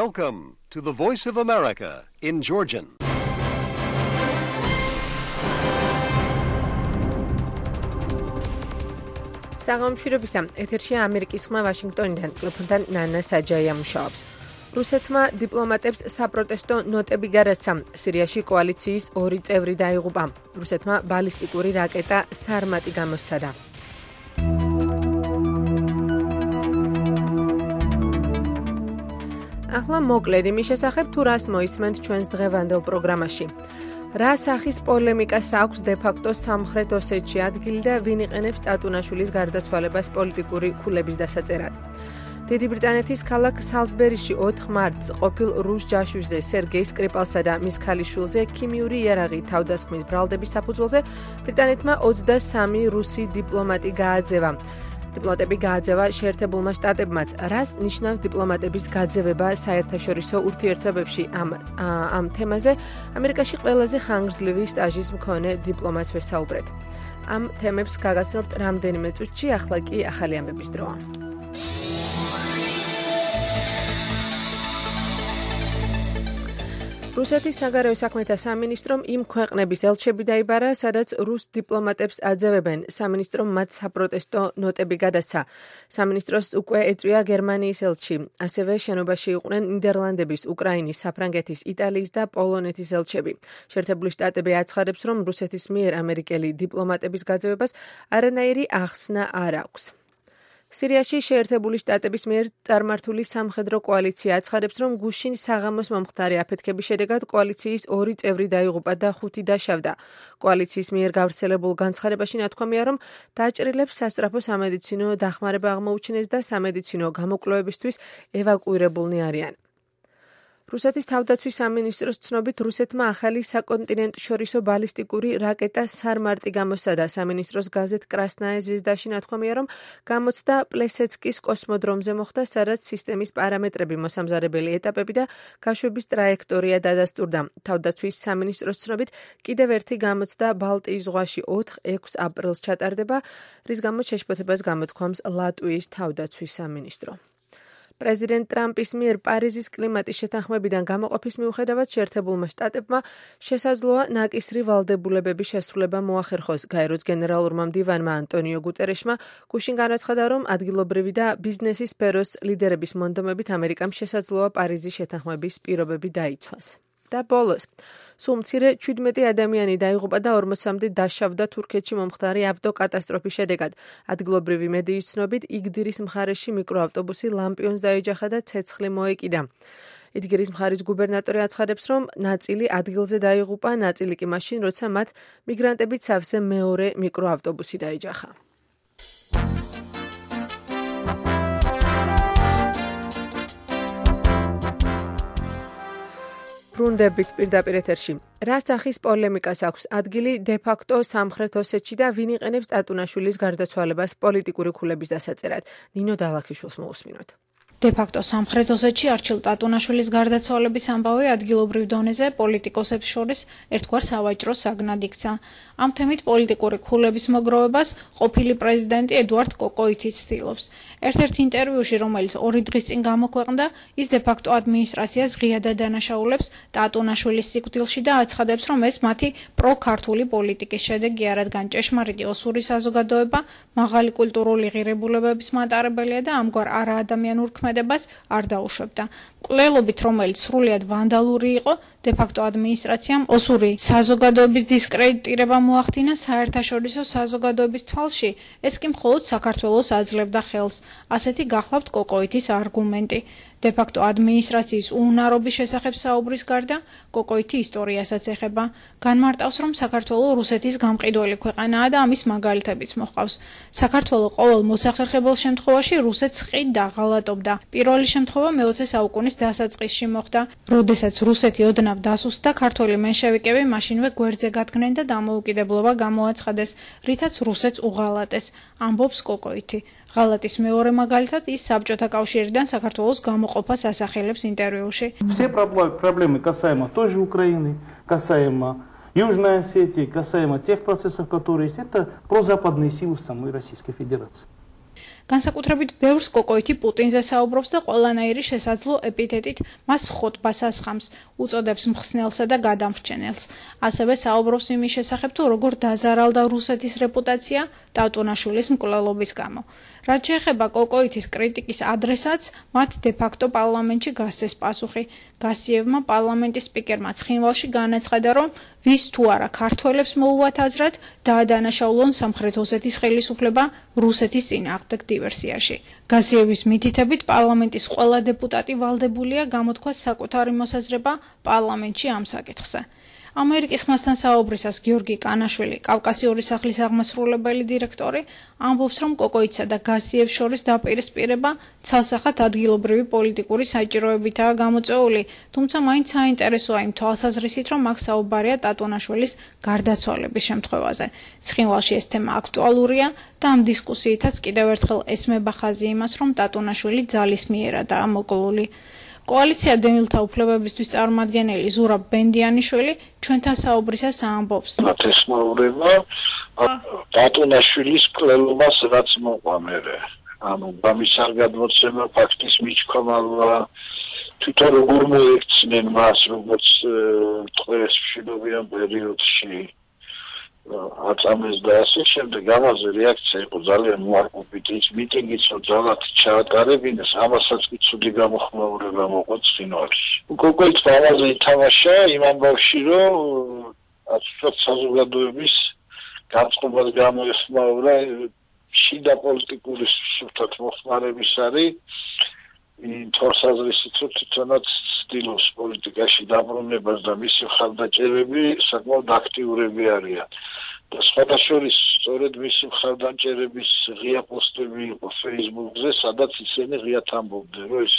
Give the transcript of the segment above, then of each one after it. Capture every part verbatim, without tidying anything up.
Welcome to the Voice of America in Georgian. საღამოშირობისა ეთერშია ამერიკის ხმა ვაშინგტონიდან, მიკროფონთან ნანა საჯაია მუშაობს. რუსეთმა დიპლომატებს საპროტესტო ნოტები გარაცხა. სირიაში კოალიციის ორი წევრი დაიღუპა. რუსეთმა ბალისტიკური რაკეტა სარმატი გამოსცადა. ახლა მოკლედ იმის შესახებ, თუ რას მოისმენთ ჩვენს დღევანდელ პროგრამაში. რა სახის პოლემიკას აქვს დე-ფაქტო სამხრეთ ოსეთში ადგილი და ვინ იყენებს ტატუნაშვილის გარდაცვალებას პოლიტიკური ქულების დასაწერად. დიდი ბრიტანეთის ქალაქ სალზბერიში ოთხ მარტს ყოფილ რუს ჯაშუშზე სერგეი სკრიპალსა და მის ქალიშვილზე ქიმიური იარაღი თავდასხმის ბრალდების საფუძველზე ბრიტანეთმა ოცდასამი რუსი დიპლომატი გააძევა. დიპლომატები გააძევა შეერთებულმა შტატებმაც. რას ნიშნავს დიპლომატების გაძევება საერთაშორისო ურთიერთობებში? ამ ამ თემაზე ამერიკაში ყველაზე ხანგრძლივი სტაჟის მქონე დიპლომატს ვესაუბრეთ. ამ თემებს გაგაცნობთ რამდენიმე წუთში, ახლა კი ახალი ამბების დროა. რუსეთის საგარეო საქმეთა სამინისტრომ იმ ქვეყნების ელჩები დაიბარა, სადაც რუს დიპლომატებს აძევებენ. სამინისტრომ მათ საპროტესტო ნოტები გადასცა. სამინისტროს უკვე ეწვია გერმანიის ელჩი. ასევე შენობაში იყვნენ ნიდერლანდების, უკრაინის, საფრანგეთის, იტალიის და პოლონეთის ელჩები. შეერთებული შტატები აცხადებს, რომ რუსეთის მიერ ამერიკელი დიპლომატების გაძევებას არანაირი ახსნა არ აქვს. სირიაში შეერთებული შტატების მიერ წარმართული სამხედრო კოალიცია აცხადებს, რომ გუშინ საღამოს მომხდარი აფეთქების შედეგად კოალიციის ორი წევრი დაიღუპა და ხუთი დაშავდა. კოალიციის მიერ გავრცელებულ განცხადებაში ნათქვამია, რომ დაჭრილებს სასწრაფო სამედიცინო დახმარება აღმოუჩინეს და სამედიცინო გამოკვლევებისთვის ევაკუირებულნი არიან. რუსეთის თავდაცვის სამინისტროს ცნობით, რუსეთმა ახალი საკონტინენტშორისო ბალისტიკური რაკეტა სარმარტი გამოსცადა. სამინისტროს გაზეთ კრასნაია ზვეზდაში ნათქვამია, რომ გამოცდა პლესეცკის კოსმოდრომზე მოხდა, სადაც სისტემის პარამეტრები, მოსამზადებელი ეტაპები და გაშვების ტრაექტორია დადასტურდა. თავდაცვის სამინისტროს ცნობით, კიდევ ერთი გამოცდა ბალტიის ზღვაში ოთხ-ექვს აპრილს ჩატარდება, რის გამოც შეშფოთებას გამოთქვამს ლატვიის თავდაცვის სამინისტრო. პრეზიდენტ ტრამპის მიერ პარიზის კლიმატის შეთანხმებიდან გამოყოფის მიუხედავად შეერთებულმა შტატებმა შესაძლოა ნაკისრი ვალდებულებების შესრულება მოახერხოს. გაეროს გენერალურმა მდივანმა ანტონიო გუტერეშმა გუშინ განაცხადა, რომ ადგილობრივი და ბიზნესის სფეროს ლიდერების მონდომებით ამერიკამ შესაძლოა პარიზის შეთანხმების პირობები დაიცვას. და ბოლოს, სულ მცირე ჩვიდმეტი ადამიანი დაიღუპა და ორმოცამდე დაშავდა თურქეთში მომხდარი ავტოკატასტროფის შედეგად. ადგილობრივი მედიის ცნობით, იგდირის მხარეში მიკროავტობუსი ლამპიონს დაეჯახა და ცეცხლი მოეკიდა. იდგირის მხარის გუბერნატორი აცხადებს, რომ ნაწილი ადგილზე დაიღუპა, ნაწილი კი მაშინ, როცა მათ მიგრანტებით სავსე მეორე მიკროავტობუსი დაეჯახა. ბრუნდებით პირდაპირ ეთერში. რა სახის პოლემიკას აქვს ადგილი დე-ფაქტო სამხრეთ ოსეთში და ვინ იყენებს ტატუნაშვილის გარდაცვალებას პოლიტიკური ქულების დასაწერად? ნინო დალაქიშვილს მოусმინოთ. დე-ფაქტო სამხრეთ ოსეთში არჩილ ტატუნაშვილის გარდაცვალების ამბავი ადგილობრივ დონეზე პოლიტიკოსებს შორის ერთგვარ სავაჭრო საგნად იქცა. ამ თემით პოლიტიკური ქულების მოგროვებას ყოფილი პრეზიდენტი ედუარდ კოკოიციც ცდილობს. ერთ-ერთ ინტერვიუში, რომელიც ორი დღის წინ გამოქვეყნდა, ის დე-ფაქტო ადმინისტრაციას ღიადად დანაშაულებს ტატუნაშვილის სიკვდილში და აცხადებს, რომ ეს მათი პრო-ქართული პოლიტიკის შედეგი, რადგან ჭეშმარიტი ოსური საზოგადოება მაღალი კულტურული ღირებულებების მატარებელია და ამგვარ არაადამიანურ ქმედებას არ დაუშვებდა. მკვლელობით, რომელიც სრულიად ვანდალური იყო, დე-ფაქტო ადმინისტრაციამ ოსური საზოგადოების დისკრედიტირება მოახდინა საერთაშორისო საზოგადოების თვალში, ეს კი მხოლოდ საქართველოს აძლევდა ხელს. ასეთი გახლავთ კოკოითის არგუმენტი. დე-ფაქტო ადმინისტრაციის უუნარობის შესახებ საუბრის გარდა, კოკოითი ისტორიასაც ეხება. განმარტავს, რომ საქართველო რუსეთის გამყიდველი ქვეყანაა და ამის მაგალითებიც მოჰყავს. საქართველო ყოველ მოსახერხებელ შემთხვევაში რუსეთს ხიდ დაღალატობდა. პირველი შემთხვევა მეოცე საუკუნის დასაწყისში მოხდა, როდესაც რუსეთი ოდნავ დასუსტდა, ქართველი მენშევიკები მაშინვე გვერდზე გადგნენ და დამოუკიდებლობა გამოაცხადეს, რითაც რუსეთს უღალატეს, ამბობს კოკოითი. ღალატის მეორე მაგალითად ის საბჭოთა კავშირიდან საქართველოს გამოყოფას ასახელებს интервьюში. Все проблемы касаемо той же Украины, касаемо Южной Осетии, касаемо тех процессов, которые есть, это прозападные силы в самой Российской Федерации. განსაკუთრებით ბევრს კოკოითი პუტინზე საუბრობს და ყველანაირი შესაძლო ეპითეტით მას ხოტბას ასხამს, უწოდებს მხსნელსა და გადამრჩენელს. ასევე საუბრობს იმის შესახებ, თუ როგორ დაზარალდა რუსეთის რეპუტაცია ტატუნაშვილის მკვლელობის გამო. რაც შეეხება კოკოითის კრიტიკის ადრესატს, მათ დე-ფაქტო პარლამენტში გასცეს პასუხი. გასიევმა პარლამენტის სპიკერმა ცხინვალში განაცხადა, რომ ვის თუ არა ქართველებს მოუვათ აზრად, დაადანაშაულონ სამხრეთ ოსეთის ხელისუფლება რუსეთის წინააღმდეგ დივერსიაში. გასიევის მითითებით პარლამენტის ყველა დეპუტატი ვალდებულია გამოთქვას საკუთარი მოსაზრება პარლამენტში ამ საკითხზე. ამერიკის ხმასთან საუბრისას გიორგი კანაშვილი, კავკასიური სახლის აღმასრულებელი დირექტორი, ამბობს, რომ კოკოიცსა და გასიევს შორის დაპირისპირება ცალსახად ადგილობრივი პოლიტიკური საჭიროებითაა გამოწვეული, თუმცა მაინც საინტერესოა იმ თვალსაზრისით, რომ აქ საუბარია ტატუნაშვილის გარდაცვალების შემთხვევაზე. ცხინვალში ეს თემა აქტუალურია და ამ დისკუსიითაც კიდევ ერთხელ ესმება ხაზი იმას, რომ ტატუნაშვილი ძალისმიერადაა მოკლული. კოალიცია დევნილთა უფლებებისთვის წარმომადგენელი ზურაბ ბენდიანიშვილი ჩვენთან საუბრისას ამბობს. ნათესმოურება ტატუნაშვილის მკვლელობას რაც მოყვა მერე. ანუ ამის არ გადმოცემა ფაქტის მიჩქომალვა თვითონ როგორ მოექცნენ მას როგორც ტყეს მშვიდობიან პერიოდში აწამეს და ასე შემდეგ ამაზე რეაქცია იყო ძალიან უარყოფითი ის მიტინგიც რომ ძალად ჩაატარებინეს ამასაც კი ცუდი გამოხმაურება მოყვა ცხინვალში. კოკოიცმა ამაზე ითამაშა იმ ამბავში რომ აცուցოთ საზოგადოების განწყობას გამოეხმაურა შიდა პოლიტიკური სუფთად მოხმარების არის იმ თორსაზრისით რომ თვითონაც ცდილობს პოლიტიკაში დაბრუნებას და მისი მხარდაჭერები საკმაოდ აქტიურები არიან. და სხვადასხვა სწორედ მისი მხარდაჭერების ღია პოსტები იყო Facebook-ზე, სადაც ისინი ღიად ამბობდნენ, რომ ეს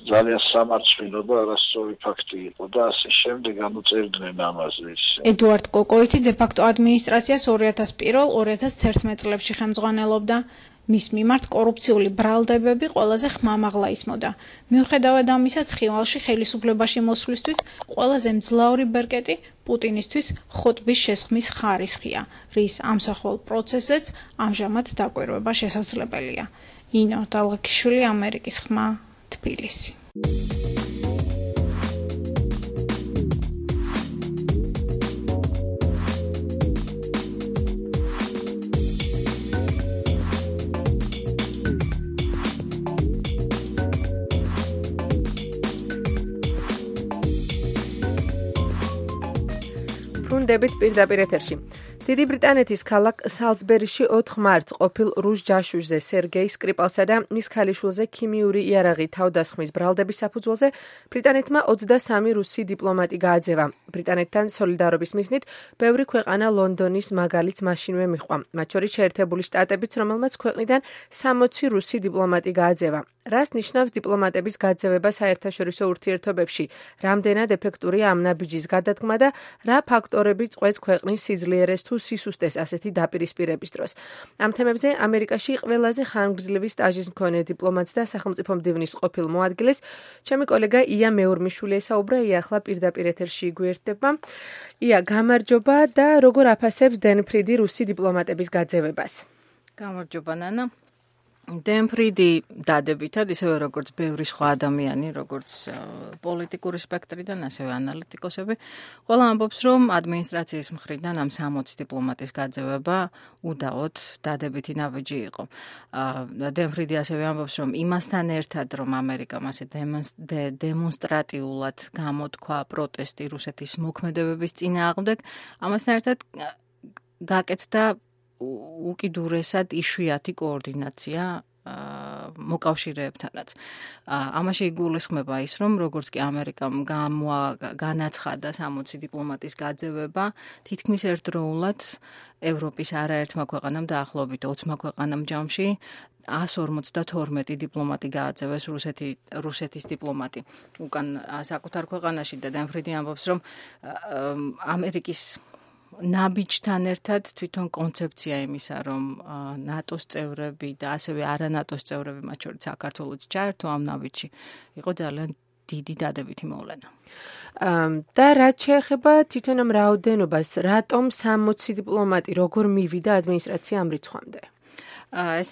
ძალიან სამარცხვინო და არასწორი ფაქტი იყო და ასე შემდეგ განუწერდნენ ამაზე. ედუარდ კოკოითი დე-ფაქტო ადმინისტრაციას ორი ათას პირველ ორი ათას თერთმეტ წლებში ხელმძღვანელობდა. მის მიმართ კორუფციული ბრალდებები ყველაზე ხმამაღლა ისმოდა. მიუხედავად ამისა, ცხინვალში ხელისუფლებაში მოსვლისთვის ყველაზე მძლავრი ბერკეტი პუტინისთვის ხოტბის შესხმის ხარისხია, რის ამსახველ პროცესზეც ამჟამად დაკვირვება შესაძლებელია. ინო დალღაკიშვილი, ამერიკის ხმა, თბილისი. ბრუნდებით პირდაპირ ეთერში. დიდი ბრიტანეთის ქალაქ სალზბერიში ოთხ მარტს ყოფილ რუს ჯაშუშზე სერგეი სკრიპალსა და მის ქალიშვილზე ქიმიური იარაღი თავდასხმის ბრალდების საფუძველზე ბრიტანეთმა ოცდასამი რუსი დიპლომატი გააძევა. ბრიტანეთთან სოლიდარობის მიზნით ბევრი ქვეყანა ლონდონის მაგალითს მაშინვე მიჰყვა. მათ შორის შეერთებული შტატებიც, რომელმაც ქვეყნიდან სამოცი რუსი დიპლომატი გააძევა. რას ნიშნავს დიპლომატების გაძევება საერთაშორისო ურთიერთობებში? რამდენად ეფექტურია ამ ნაბიჯის გადადგმა და რა ფაქტორები წყვეტს ქვეყნის სიძლიერეს თუ სისუსტეს ასეთი დაპირისპირების დროს? ამ თემებზე ამერიკაში ყველაზე ხანგრძლივი სტაჟის მქონე დიპლომატს და სახელმწიფო მდივნის ყოფილ მოადგილეს ჩემი კოლეგა ია მეურმიშვილი ესაუბრა. ია ახლა პირდაპირ ეთერში გვერდება. ია, გამარჯობა და როგორ აფასებს დენ ფრიდი რუსი დიპლომატების გაძევებას? გამარჯობა ნანა. დენ ფრიდი დადებითად, ისევე როგორც ბევრი სხვა ადამიანი, როგორც პოლიტიკური სპექტრიდან, ასევე ანალიტიკოსები, ყველა ამბობს, რომ ადმინისტრაციის მხრიდან ამ სამოცი დიპლომატის გაძევება უდაოდ დადებითი ნაბიჯი იყო. დენ ფრიდი ასევე ამბობს, რომ იმასთან ერთად, რომ ამერიკამ ასე დემონსტრატიულად გამოთქვა პროტესტი რუსეთის მოქმედებების წინააღმდეგ, ამასთან ერთად გაკეთდა უკიდურესად იშვიათი კოორდინაცია მოკავშირეებთანაც. ამაში იგულისხმება ის, რომ როგორც კი ამერიკამ განაცხადა სამოცი დიპლომატის გაძევება, თითქმის ერთდროულად ევროპის არაერთმა ქვეყანამ დაახლოებით ოცმა ქვეყანამ ჯამში ას ორმოცდათორმეტი დიპლომატი გააძევეს რუსეთი, რუსეთის დიპლომატი. უკან საკუთარ ქვეყანაში და დენ ფრიდი ამბობს, რომ ამერიკის ნაბიჯთან ერთად თვითონ კონცეფცია იმისა, რომ ნატოს წევრები და ასევე არანატოს წევრები, მათ შორის საქართველოც ჩაერთო ამ ნაბიჯში, იყო ძალიან დიდი დადებითი მოვლენა. და რაც შეეხება თვითონ ამ რაოდენობას, რატომ სამოცი დიპლომატი როგორ მივიდა ადმინისტრაცია ამ რიცხვამდე? ეს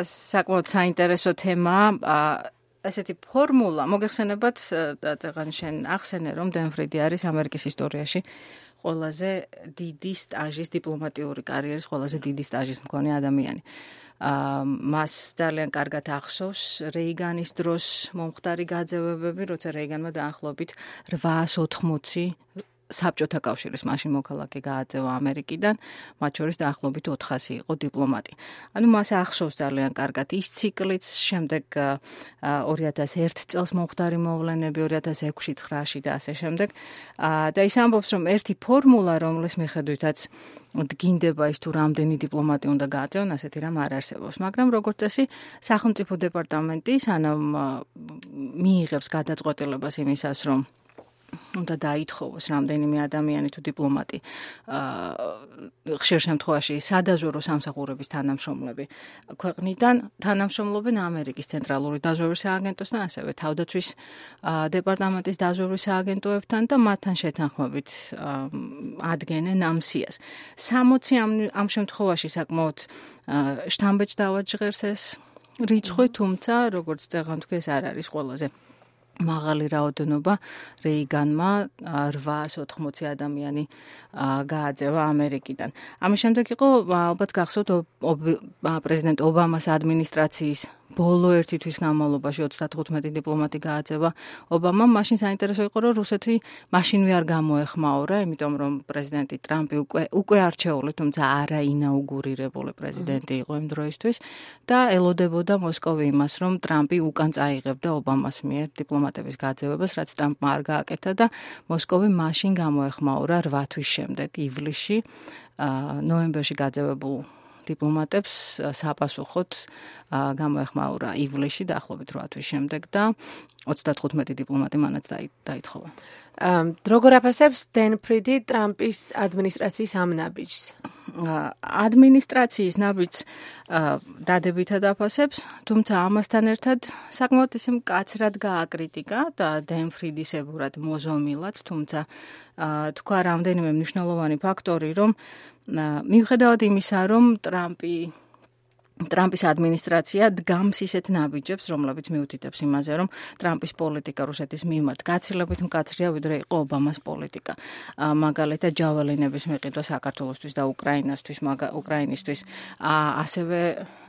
საკმაოდ საინტერესო თემაა. ესეთი ფორმულა, მოგეხსენებათ, წეღან შენ ახსენე, რომ დენ ფრიდი არის ამერიკის ისტორიაში ყველაზე დიდი სტაჟის, დიპლომატიური კარიერის ყველაზე დიდი სტაჟის მქონე ადამიანი. მას ძალიან კარგად ახსოვს რეიგანის დროს მომხდარი გაძევებები, როცა რეიგანმა დაახლოებით რვაას ოთხმოცი საბჭოთა კავშირის მაშინ მოქალაქე გააძევა ამერიკიდან, მათ შორის დაახლოებით ოთხასი იყო დიპლომატი. ანუ მას ახსოვს ძალიან კარგად ის ციკლიც, შემდეგ ორი ათას ერთ წელს მომხდარი მოვლენები, ორი ათას ექვსი ცხრაში და ასე შემდეგ. და ის ამბობს, რომ ერთი ფორმულა, რომლის მიხედვითაც დგინდება ის თუ რამდენი დიპლომატი უნდა გააძევონ, ასეთი რამ არ არსებობს. მაგრამ როგორც წესი, სახელმწიფო დეპარტამენტი სანამ მიიღებს გადაწყვეტილებას იმისას, რომ უნდა დაითხოვოს რამდენიმე ადამიანი თუ დიპლომატი ხშირ შემთხვევაში სადაზვერო სამსახურების თანამშრომლები ქვეყნიდან თანამშრომლობენ ამერიკის ცენტრალური დაზვერვის სააგენტოსთან, ასევე თავდაცვის დეპარტამენტის დაზვერვის სააგენტოებთან და მათთან შეთანხმებით ადგენენ ამ სიას. სამოცი ამ შემთხვევაში საკმაოდ შთამბეჭ დავაჯღერს ეს რიცხვი, თუმცა როგორც წეღან თქვი, ეს არ არის ყველაზე მაღალი რაოდენობა. რეიგანმა რვაას ოთხმოცი ადამიანი გააძევა ამერიკიდან. ამის შემდეგ იყო ალბათ გახსოვთ პრეზიდენტ ობამას ადმინისტრაციის ბოლო ერთი თვის განმავლობაში ოცდათხუთმეტი დიპლომატი გააძევა ობამამ. მაშინ საინტერესო იყო, რომ რუსეთი მაშინვე არ გამოეხმაურა, იმიტომ რომ პრეზიდენტი ტრამპი უკვე უკვე არჩეული, თუმცა არა ინაუგურირებული პრეზიდენტი იყო იმ დროისთვის და ელოდებოდა მოსკოვი იმას, რომ ტრამპი უკან წაიღებდა ობამას მიერ დიპლომატების გაძევებას, რაც ტრამპმა არ გააკეთა და მოსკოვი მაშინ გამოეხმაურა რვა თვის შემდეგ, ივლისში, ნოემბერში გაძევებულ დიპლომატებს საპასუხოდ გამოეხმაურა ივლისში დაახლოებით რვა თვის შემდეგ და ოცდათხუთმეტი დიპლომატი მანაც დაითხოვა. როგორ აფასებს დენ ფრიდი ტრამპის ადმინისტრაციის ამ ნაბიჯს? ადმინისტრაციის ნაბიჯს დადებითად აფასებს, თუმცა ამასთან ერთად საკმაოდ ისე მკაცრად გააკრიტიკა და დენ ფრიდისებურად მოზომილად, თუმცა თქვა რამდენიმე მნიშვნელოვანი ფაქტორი, რომ მიუხედავად იმისა, რომ ტრამპი ტრამპის ადმინისტრაცია დგამს ისეთ ნაბიჯებს, რომლებიც მიუთითებს იმაზე, რომ ტრამპის პოლიტიკა რუსეთის მიმართ გაცილებით მკაცრია, ვიდრე იყო ობამას პოლიტიკა. მაგალითად, ჯაველინების მიყიდვა საქართველოსთვის და უკრაინასთვის, უკრაინისთვის. ასევე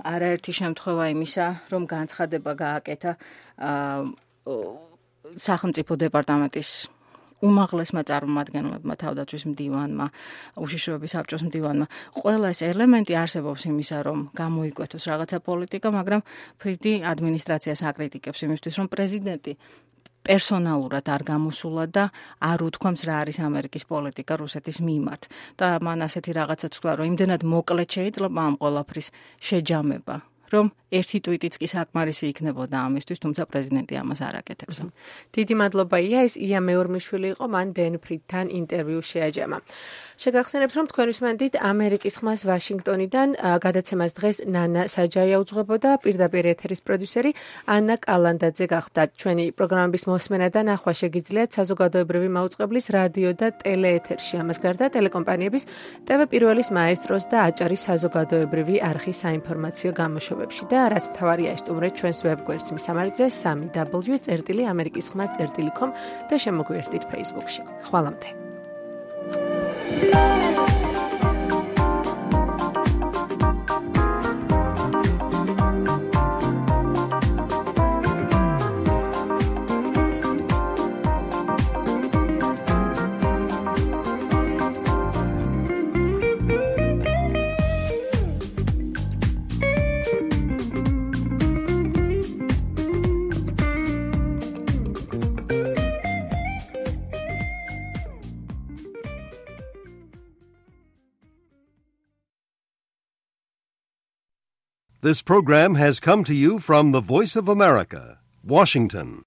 არაერთი შემთხვევა იმისა, რომ განცხადება გააკეთა სახელმწიფო დეპარტამენტის უმაღლესმა წარმომადგენლებმა, თავდაცვის მდივანმა, უშიშროების საბჭოს მდივანმა. ყველა ეს ელემენტი არსებობს იმისა, რომ გამოიკვეთოს რაღაცა პოლიტიკა, მაგრამ ფრიდი ადმინისტრაციას აკრიტიკებს იმისთვის, რომ პრეზიდენტი პერსონალურად არ გამოსულა და არ უთქვამს რა არის ამერიკის პოლიტიკა რუსეთის მიმართ. და მან ასეთი რაღაცაც თქვა, რომ იმდენად მოკლედ შეიძლება ამ ყველაფრის შეჯამება, რომ ერთი ტვიტიც კი საკმარისი იქნებოდა ამისთვის, თუმცა პრეზიდენტი ამას არ აკეთებს. დიდი მადლობა ია, ეს ია მეორმიშვილი იყო, მან დენ ფრიდთან ინტერვიუ შეაჯამა. შეგახსენებთ, რომ თქვენთვის მანდით ამერიკის ხმას ვაშინგტონიდან გადაცემას დღეს ნანა საჯაია უძღვებოდა, პირდაპირ ეთერის პროდიუსერი ანა კალანდაძე გახდა. ჩვენი პროგრამების მოსმენა და ნახვა შეგიძლიათ საზოგადოებრივი მაუწყებლის რადიო და ტელეეთერში. ამას გარდა ტელეკომპანიების ტევ პირველის მაესტროს და აჭარის საზოგადოებრივი არხის საინფორმაციო გამოშვებებში და რაც მთავარია ისტუმრეთ ჩვენს ვებგვერდს მისამართზე სამი დაბლიუ წერტილი ამერიკის ხმა წერტილი com და შემოგვიერთდით Facebook-ში. ხვალამდე. This program has come to you from the Voice of America, Washington.